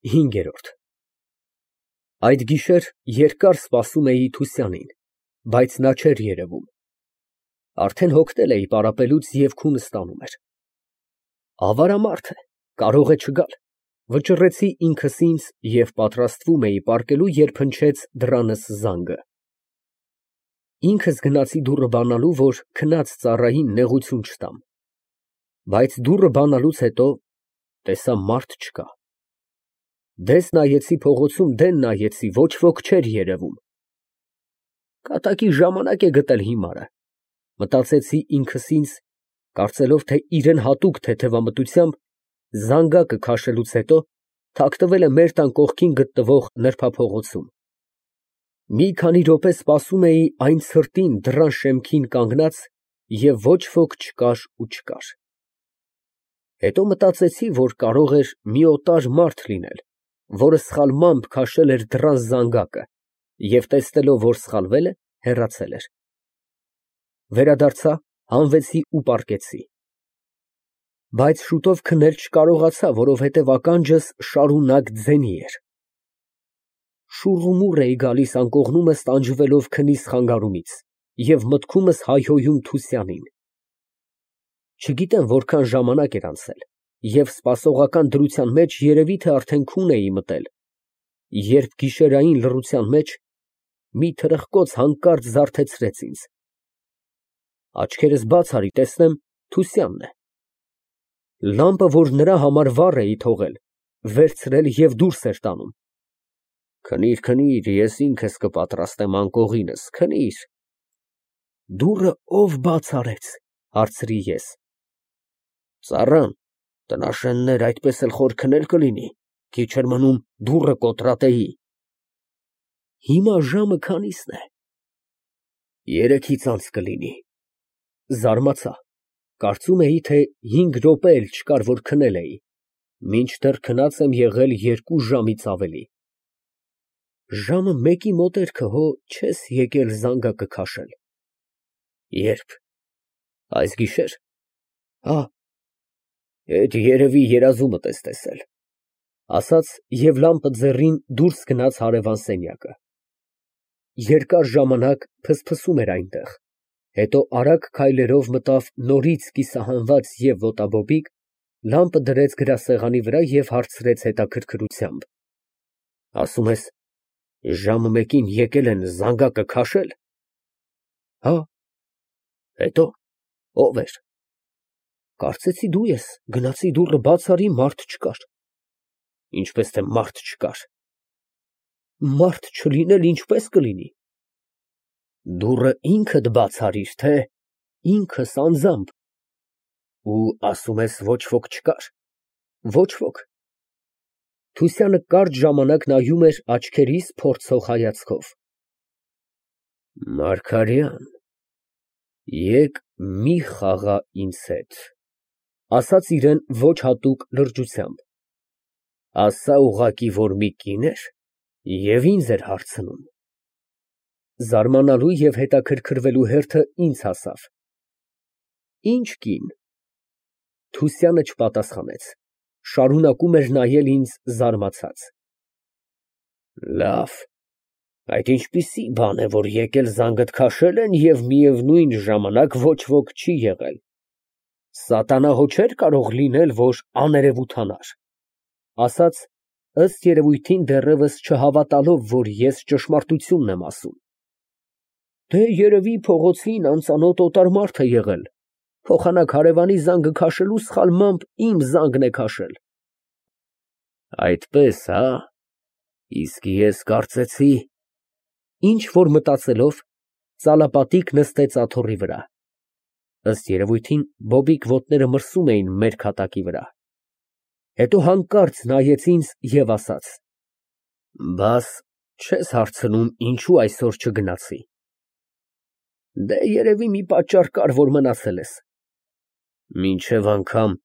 5։ Այդ գիշեր երկար սպասում էի Թուսյանին, բայց նա չէր երևում։ Արդեն հոգնել էի պարապելուց և քունս տանում էր։ Ավարամարդ է, կարող է չգալ, վճռեցի ինքս ինձ և պատրաստվում էի պառկելու, երբ հնչեց դռանս զանգը։ Ինքս գնացի դուռը բանալու, որ քնած ծառային նեղություն չտամ, բայց դուռը բանալուց հետո տեսա մարդ չկա։ Դես նայեցի փողոցում, դեն նայեցի, ոչ ոք չէր երևում։ Կատակի ժամանակ է գտել հիմարը, մտածեցի ինքս ինձ, կարծելով, թե իրան հատուկ թեթևամտությամբ զանգակը քաշելուց հետո թաքնվել է մեր տան կողքին գտնվող նրբափողոցում։ Մի քանի րոպե սպասում էի այն ցրտին դռան շեմքին կանգնած և ոչ ոք չկար։ Հետո մտածեցի, որ կարող էր մի օտար մարդ լինել, որը սխալմամբ քաշել էր դռան զանգակը և տեսնելով, որ սխալվել է, հեռացել էր։ Վերադարձա, հանվեցի ու պառկեցի։ Բայց շուտով քնել չկարողացա, որովհետև ականջս շարունակ ձենի էր։ Շուռումուռ էի գալիս անկողնումս տանջվելով քնիս խանգարումից և մտքումս հայհոյում Թուսյանին։ Չգիտեմ որքան ժամանակ էր անցել և սպասողական դրության մեջ երևի թե արդեն քուն էի մտել, երբ գիշերային լռության մեջ մի թրխկոց հանկարծ զարթեցրեց ինձ։ Աչքերս բաց արի, տեսնեմ Թուսյանն է։ Լամպը, որ նրա համար վառ էի թողել, վերցրել և դուրս էր տանում։ Քնիր, քնիր, ես ինքս կպատրաստեմ անկողինս, քնիր։ Դուռը ո՞վ բաց արեց, հարցրի ես։ Ծառան, տնաշեններ, այդպես էլ խոր քնել կլինի, քիչ էր մնում դուռը կոտրատեի։ Հիմա ժամը քանի՞սն է։ 3-ից կլինի։ Զարմացա, կարծում էի, թե 5 րոպե էլ չկար, որ քնել էի, մինչդեռ քնած եմ եղել 2 ժամից ավելի։ Ժամը 1-ի մոտերքը հո չես եկել զանգակը քաշել։ Ե՞րբ։ Այս գիշեր։ Հա, էդ երևի երազումդ ես տեսել, ասաց և լամպը ձեռին դուրս գնաց հարևան սենյակը։ Երկար ժամանակ փսփսում էր այնտեղ, հետո արագ քայլերով մտավ նորից կիսահանված և ոտաբոբիկ, լամպը դրեց գրասեղանի վրա և հարցրեց հետաքրքրությամբ. Ասում ես, ժամը 1-ին եկել են զանգակը քաշել։ Հա։ Հետո ո՞վ էր։ Կարծեցի դու ես, գնացի դուռը բաց արի, մարդ չկար։ Ինչպես թե մարդ չկար։ Մարդ չլինել ինչպես կլինի։ Դուռը ինքդ բաց արիր, թե ինքս անձամբ։ Ու ասում ես ոչ ոք չկար։ Ոչ ոք։ Թուսյանը կարճ ժամանակ նայում էր աչքերիս փորձող հայացքով։ Մարգարյան, եկ մի խաղա ինձ հետ, ասաց իրան ոչ հատուկ լրջությամբ։ Ասա ուղղակի, որ մի կին էր և ինձ էր հարցնում։ Զարմանալու և հետաքրքրվելու հերթը ինձ հասավ։ Ինչ կին։ Թուսյանը չպատասխանեց, շարունակում էր նայել ինձ զարմացած։ Լավ, այդ ինչպիսի բան է, որ եկել զանգդ քաշել են և միևնույն ժամանակ ոչ ոք չի եղել։ Սատանա հո չէր կարող լինել, որ աներևութանար, ասաց, ըստ երևույթին դեռևս չհավատալով, որ ես ճշմարտությունն եմ ասում։ Դե երևի փողոցին անծանոթ օտար մարդ է եղել, փոխանակ հարևանի զանգը քաշելու սխալմամբ իմ զանգն է քաշել։ Այդպես, հա։ Իսկ ես կարծեցի… Ինչ որ մտածելով, ծալապատիկ նստեց աթոռի վրա։ Ըստ երևույթին բոբիկ ոտները մրսում էին մեր քատակի վրա։ Հետո հանկարծ նայեց ինձ և ասաց. Բաս չես հարցնում, ինչու այսօր չգնացի։ Դե երևի մի պատճառ կար, որ մնացել ես։ Մինչև անգամ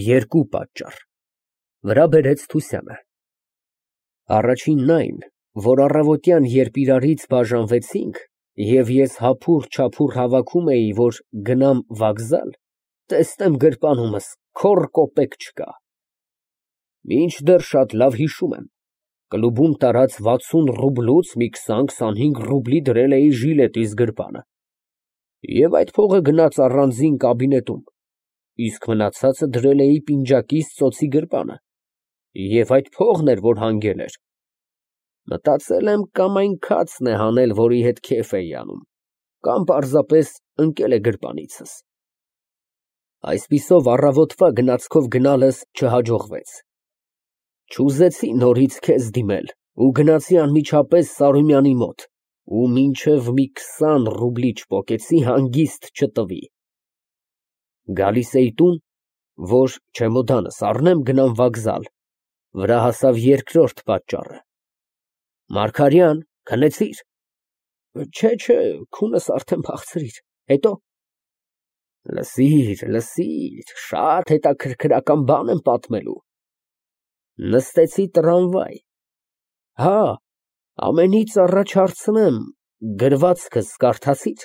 2 պատճառ, վրա բերեց Թուսյանը։ Առաջինն այն, որ առավոտյան, երբ իրարից բաժանվեցինք, և ես հափուռ-չափուռ հավաքում էի, որ գնամ վագզալ, տեսնեմ գրպանումս քոռ կոպեկ չկա։ Մինչդեռ շատ լավ հիշում եմ, կլուբում տարած 60 ռուբլուց մի 20-25 ռուբլի դրել էի ժիլետիս գրպանը, և այդ փողը գնաց առանձին կաբինետում, իսկ մնացածը դրել էի պինջակիս ծոցի գրպանը, և այդ փողն էր, որ հանգել էր։ Մտածել եմ, կամ այն քացն է հանել, որի հետ քեֆ էի անում, կամ պարզապես ընկել է գրպանիցս։ Այսպիսով առավոտվա գնացքով գնալս չհաջողվեց։ Չուզեցի նորից քեզ դիմել ու գնացի անմիջապես Սարոմյանի մոտ ու մինչև մի 20 ռուբլի չպոկեցի հանգիստ չտվի։ Գալիս էի տուն, որ չեմոդանս առնեմ, գնամ վокзալ, վրա հասավ երկրորդ պատճառը։ Մարգարյան, քնեցի՞ր։ Չէ, քունս արդեն փախցրիր, հետո։ Լսիր, շատ հետաքրքրական բան եմ պատմելու։ Նստեցի տրամվայ։ Հա, ամենից առաջ հարցնեմ, գրվածքս կարդացի՞ր։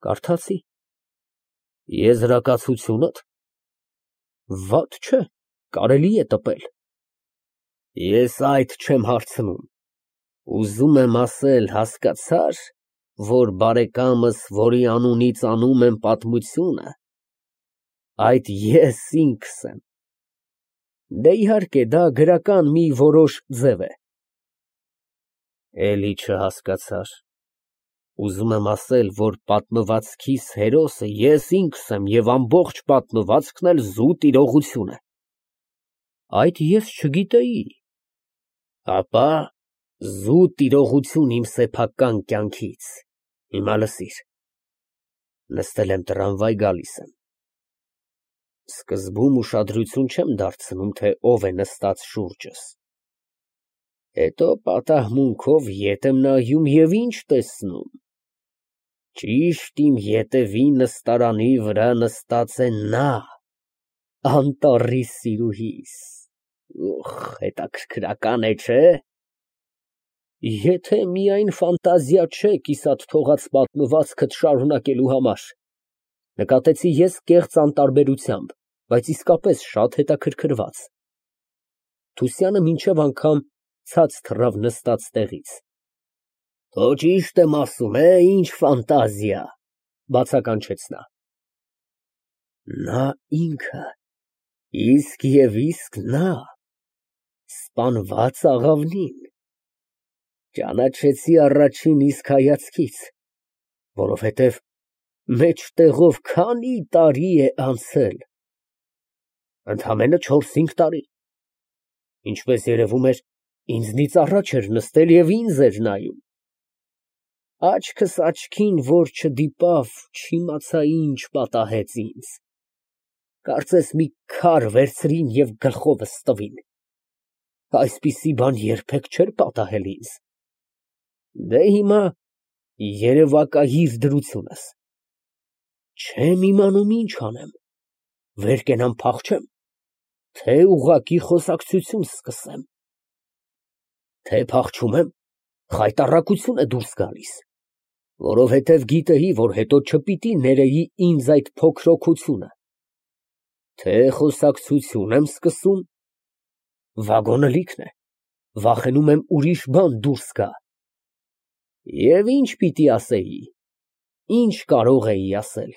Կարդացի։ Եզրակացությո՞ւնդ։ Վատ չէ, կարելի է տպել։ Ես այդ չեմ հարցնում, ուզում եմ ասել, հասկացա՞ր, որ բարեկամս, որի անունից անում եմ պատմությունը, այդ ես ինքս եմ։ Դե իհարկե, դա գրական մի որոշ ձև է։ Էլի չհասկացար։ Ուզում եմ ասել, որ պատմվածքիս հերոսը ես ինքս եմ և ամբողջ պատմվածքն էլ զուտ իրողություն է։ Այդ ես չգիտեի։ Ապա զուտ իրողություն իմ սեփական կյանքից։ Հիմա լսիր։ Նստել եմ տրամվայ, գալիս եմ։ Սկզբում ուշադրություն չեմ դարձնում, թե ով է նստած շուրջս։ Հետո պատահմունքով ետ եմ նայում և ինչ տեսնում։ Ճիշտ իմ ետևի նստարանի վրա նստած է նա, անտառի սիրուհիս։ Հետաքրքրական է, չէ՞։ Եթե միայն ֆանտազիա չէ կիսատ թողած պատմվածքդ շարունակելու համար։ Նկատեցի ես կեղծ անտարբերությամբ, բայց իսկապես շատ հետաքրքրված։ Թուսյանը մինչև անգամ ցած թռավ նստած տեղից։ Քո ճիշտ եմ ասում, ինչ ֆանտազիա, բացականչեց նա։ Նա ինքը, իսկ և իսկ նա, սպանված աղավնին։ Ճանաչեցի առաջին իսկ հայացքից, որովհետև մեջտեղով քանի տարի է անցել։ Ընդամենը 4-5 տարի։ Ինչպես երևում էր, ինձնից առաջ էր նստել և ինձ էր նայում։ Աչքս աչքին որ չդիպավ, չիմացա ինչ պատահեց ինձ։ Կարծես մի քար վերցրին և գլխովս տվին։ Այսպիսի բան երբեք չէր պատահել ինձ։ Դե հիմա երևակայիր դրությունս։ Չեմ իմանում ինչ անեմ, վեր կենամ փախչեմ, թե ուղղակի խոսակցություն սկսեմ։ Թե փախչում եմ, խայտառակություն է դուրս գալիս, որովհետև գիտեի, որ հետո չպիտի ներեի ինձ այդ փոքր օգությունը։ Թե խոսակցություն եմ սկսում, վագոնը լիքն է, վախենում եմ ուրիշ բան դուրս գա։ Եվ ինչ պիտի ասեի, ինչ կարող էի ասել։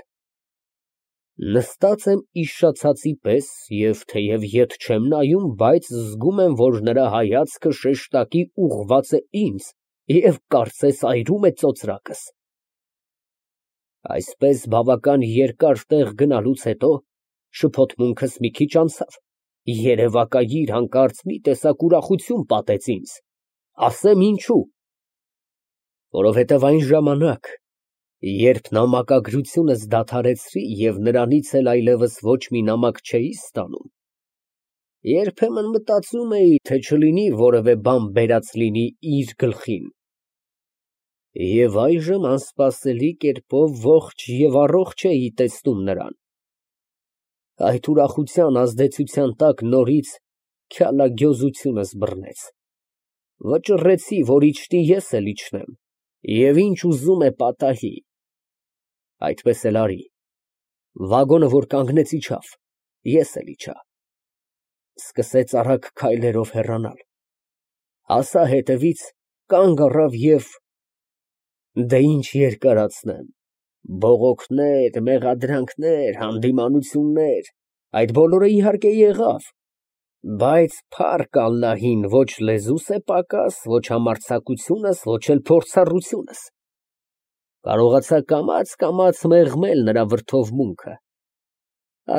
Նստած եմ իշխացածի պես և թեև ետ չեմ նայում, բայց զգում եմ, որ նրա հայացքը շեշտակի ուղղված է ինձ և կարծես այրում է ծոծրակս։ Այսպես բավական երկար տեղ գնալուց հետո շփոթմունքս մի քիչ անցավ, երևակայիր հանկարծ մի տեսակ ուրախություն պատեց ինձ, ասեմ ինչու։ Որովհետև այն ժամանակ, երբ նամակագրությունս դադարեցրի և նրանից էլ այլևս ոչ մի նամակ չէի ստանում, երբեմն մտածում էի, թե չլինի որևէ բան բերած լինի իր գլխին։ Եվ այժմ անսպասելի կերպով ողջ և առողջ էի տեսնում նրան։ Այդ ուրախության ազդեցության տակ նորից քյալագյոզությունս բռնեց։ Վճռեցի, որ իջնի ես էլ իջնեմ, և ինչ ուզում է պատահի։ Այդպես էլ արի։ Վագոնը որ կանգնեց իջավ, ես էլ իջա։ սկսեց արագ քայլերով հեռանալ։ Հասա հետևից, կանգ առավ և… Դե ինչ երկարացնեմ, բողոքներ, մեղադրանքներ, հանդիմանություններ, այդ բոլորը իհարկե եղավ, բայց փառք Ալլահին, ոչ լեզուս է պակաս, ոչ համարձակությունս, ոչ էլ փորձառությունս։ Կարողացա կամաց մեղմել նրա վրդովմունքը։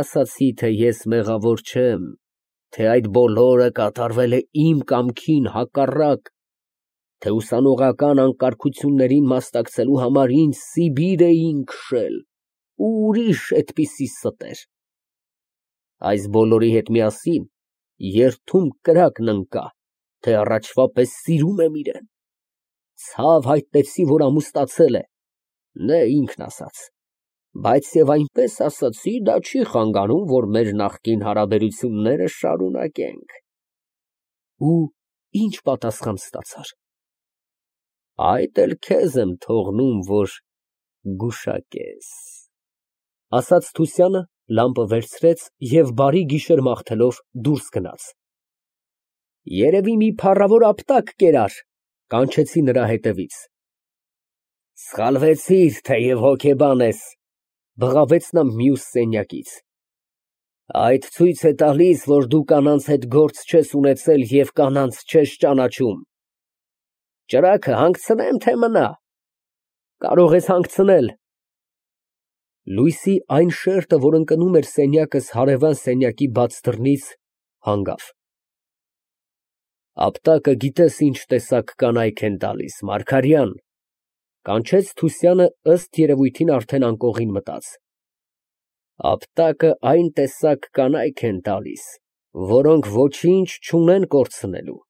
Ասացի, թե ես մեղավոր չեմ, թե այդ բոլորը կատարվել է իմ կամքին հակառակ, թե ուսանողական անկարգություններին մասնակցելու համար ինձ Սիբիր էին քշել, ու ուրիշ այդպիսի ստեր։ Այս բոլորի հետ միասին երդում կրակն ընկա, թե առաջվա պես սիրում եմ իրեն։ Ցավ հայտնեցի, որ ամուսնացել է, նե ինքն ասաց, բայց և այնպես ասացի, դա չի խանգարում, որ մեր նախկին հարաբերությունները շարունակենք։ Ու ինչ պատասխան ստացար։ Այդ էլ քեզ եմ թողնում, որ գուշակես, ասաց Թուսյանը, լամպը վերցրեց և բարի գիշեր մաղթելով դուրս գնաց։ Երևի մի փառավոր ապտակ կերար, կանչեցի նրա հետևից։ Սխալվեցիր, թեև հոգեբան ես, բղավեց նա մյուս սենյակից։ Այդ ցույց է տալիս, որ դու կանանց հետ գործ չես ունեցել և կանանց չես ճանաչում։ Ճրագը հանգցնեմ, թե մնա։ Կարող ես հանգցնել։ Լույսի այն շերտը, որ ընկնում էր սենյակս հարևան սենյակի բաց դռնից, հանգավ։ Ապտակը գիտես ինչ տեսակ կանայք են տալիս, Մարգարյան, կանչեց Թուսյանը, ըստ երևույթին արդեն անկողին մտած։ Ապտակը այն տեսակ կանայք են տալիս, որոնք ոչինչ չունեն կորցնելու։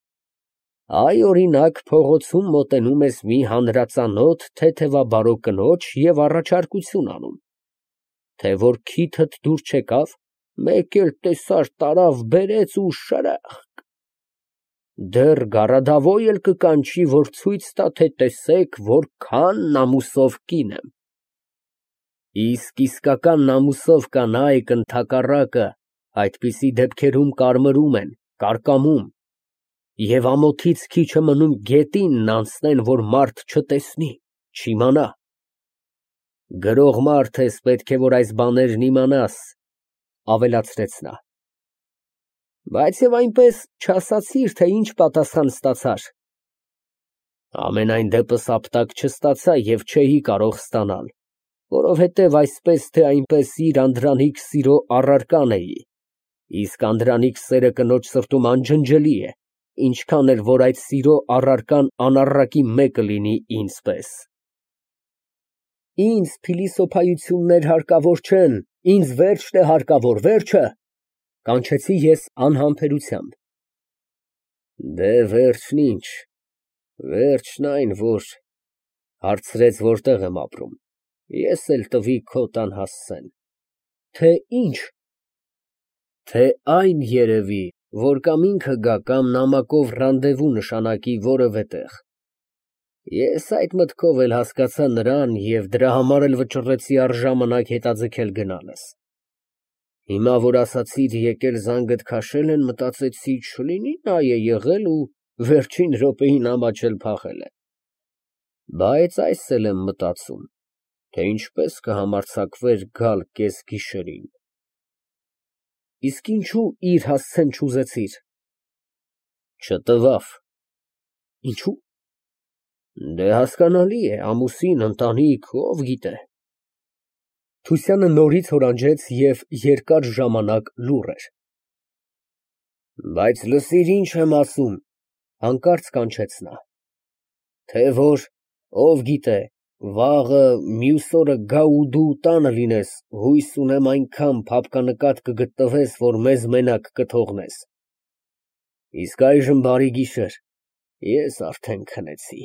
Այ, օրինակ, փողոցում մոտենում ես մի հանրածանոթ թեթևաբարո կնոջ և առաջարկություն անում, թե որ քիթդ դուր չեկավ, մեկ էլ տեսար տարավ, բերեց ու շրըխկ, դեռ գարադավոյ էլ կկանչի, որ ցույց տա, թե տեսեք, որքան ամուսով կին եմ։ Իսկ իսկական ամուսով կանայք, ընդհակառակը, այդպիսի դեպքերում կարմրում են, կարկամում և ամոթից քիչ է մնում գետինն անցնեն, որ մարդ չտեսնի, չիմանա։ Գրող մարդ ես, պետք է որ այս բաներն իմանաս, ավելացրեց նա։ Բայց և այնպես չասացիր, թե ինչ պատասխան ստացար։ Համենայն դեպս ապտակ չստացա և չէի կարող ստանալ, որովհետև այսպես թե այնպես իր անդրանիկ սիրո առարական էի, իսկ անդրանիկ սերը կնոջ սրտում անջնջելի է, ինչքան էլ որ այդ սիրո առարկան անառակի մեկը լինի ինձ պես։ Ինձ փիլիսոփայություններ հարկավոր չեն, ինձ վերջն է հարկավոր, վերջը, կանչեցի ես անհամբերությամբ։ Դե վերջն ինչ, վերջն այն, որ… հարցրեց որտեղ եմ ապրում, ես էլ տվի քո տան հասցեն։ Թե ինչ։ Թե այն երևի, որ կամ ինքը գա, կամ նամակով ռանդևու նշանակի որևէ տեղ։ Ես այդ մտքով էլ հասկացա նրան և դրա համար էլ վճռեցի առժամանակ հետաձգել գնալս։ Հիմա, որ ասացիր եկել զանգդ քաշել են, մտածեցի չլինի նա է եղել ու վերջին րոպեին ամաչել փախել է։ Բայց այս էլ եմ մտածում, թե ինչպես կհամարձակվեր գալ կեսգիշերին։ Իսկ ինչու իր հասցեն չուզեցիր։ Չտվավ։ Ինչու։ Դե հասկանալի է, ամուսին, ընտանիք, ով գիտե։ Թուսյանը նորից հորանջեց և երկար ժամանակ լուռ էր։ Բայց լսիր, ինչ եմ ասում, հանկարծ կանչեց նա։ Թե որ, ով գիտե, վաղը, մյուս օրը գա ու դու տանը լինես, հույս ունեմ այնքան փափկանկատ կգտնվես, որ մեզ մենակ կթողնես։ Իսկ այժմ բարի գիշեր, ես արդեն քնեցի։